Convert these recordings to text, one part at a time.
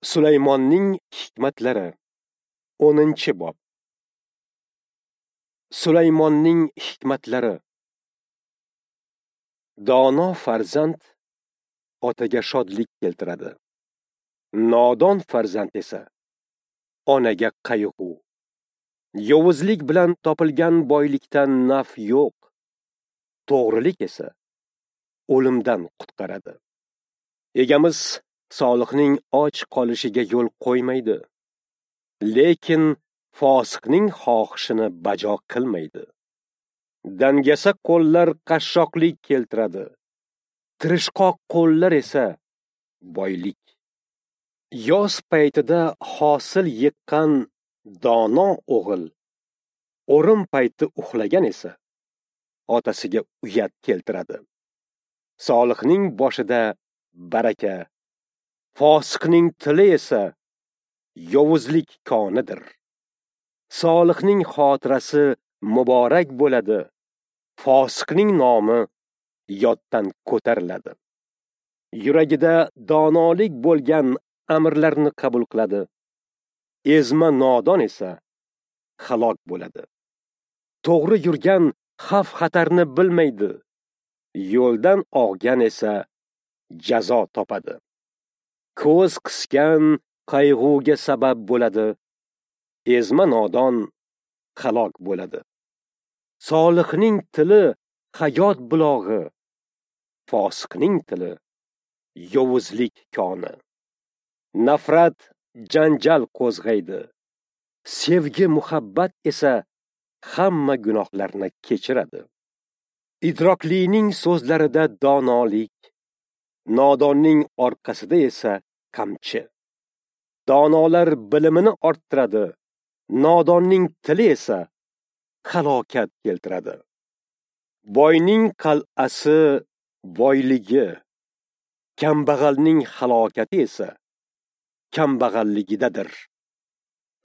Sulaymonning hikmatlari 10-bob. Sulaymonning hikmatlari. Dono farzand otaga shodlik keltiradi. Nodon farzand esa onaga qayg'u. Yovuzlik bilan topilgan boylikdan naf yo'q. To'g'rilik esa o'limdan qutqaradi. Egamiz solihning och qolishiga yo'l qo'ymaydi. Lekin fosiqning xohishini bajo qilmaydi. Dangasa qo'llar qashshoqlik keltiradi. Tirishqoq qo'llar esa boylik. Yoz paytida hosil yiqqan dono o'g'il, o'rim payti uxlagan esa otasiga uyat keltiradi. Solihning boshida baraka, fosiqning tili esa yovuzlik konidir. Solihning xotirasi muborak bo'ladi, fosiqning nomi yoddan ko'tariladi. Yuragida donolik bo'lgan amrlarni qabul qiladi. Ezma nodon esa halok bo'ladi. To'g'ri yurgan xavf-xatarni bilmaydi. Yo'ldan og'gan esa jazo topadi. Ko'z qisgan qayg'uga sabab bo'ladi. Ezma nodon halok bo'ladi. Solihning tili hayot bulog'i, fosiqning tili yovuzlik koni. Nafrat janjal qo'zg'aydi. Sevgi muhabbat esa hamma gunohlarni kechiradi. Idroklining so'zlarida donolik, nodonning orqasida esa qamchi. Donolar bilimini orttiradi, nodonning tili esa halokat keltiradi. Boyning qal'asi boyligi, kambag'alning halokati esa kambag'alligidadir.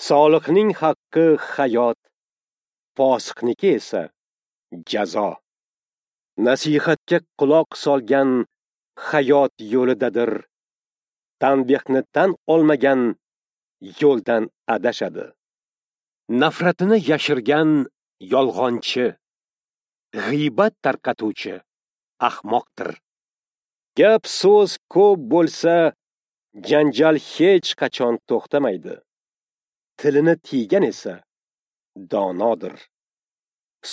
Solihning haqqi hayot, fosiqniki esa jazo. Nasihatga quloq solgan hayot yo'lidadir. Tanbehni tan olmagan yo'ldan adashadi. Nafratini yashirgan yolg'onchi, g'iybat tarqatuvchi ahmoqdir. Gap so'z ko'p bo'lsa, janjal hech qachon to'xtamaydi. Tilini tiygan esa donodir.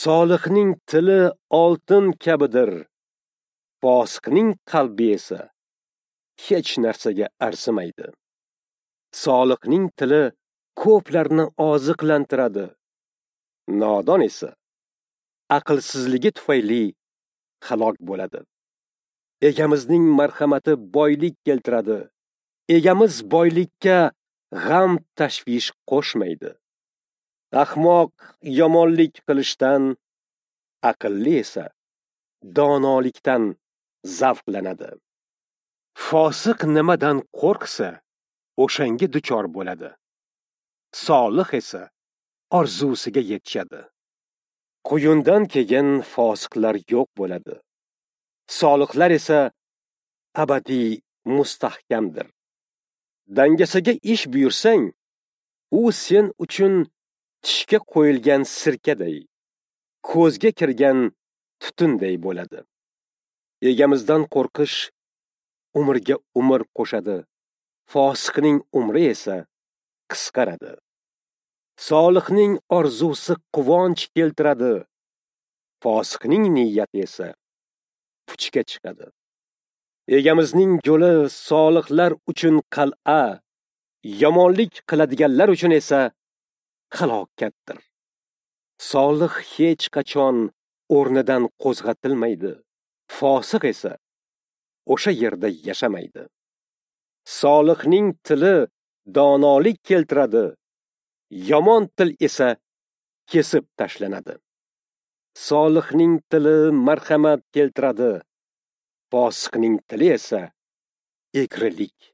Solihning tili oltin kabidir. Fosiqning qalbi esa hech narsaga arzimaydi. Solihning tili ko'plarni oziqlantiradi. Nodon esa aqlsizligi tufayli halok bo'ladi. Egamizning marhamati boylik keltiradi. Egamiz boylikka g'am tashvish qo'shmaydi. Ahmoq yomonlik qilishdan, aqlli esa donolikdan zavqlanadi. Fosiq nimadan qo'rqsa, o'shanga duchor bo'ladi. Solih esa orzusiga yetishadi. Quyundan keyin fosiqlar yo'q bo'ladi. Solihlar esa abadiy mustahkamdir. Dangasaga ish buyursang, u sen uchun tishga qo'yilgan sirkaday, ko'zga kirgan tutunday bo'ladi. Egamizdan qo'rqish umrga umr qo'shadi. Fosiqning umri esa qisqaradi. Solihning orzusi quvonch keltiradi. Fosiqning niyati esa puchga chiqadi. Egamizning yo'li solihlar uchun qal'a, yomonlik qiladiganlar uchun esa halokatdir. Solih hech qachon o'rnidan qo'zg'atilmaydi. Fosiq esa o'sha yerda yashamaydi. Solihning tili donolik keltiradi. Yomon til esa kesib tashlanadi. Solihning tili marhamat keltiradi. Fosiqning tili esa egrilik.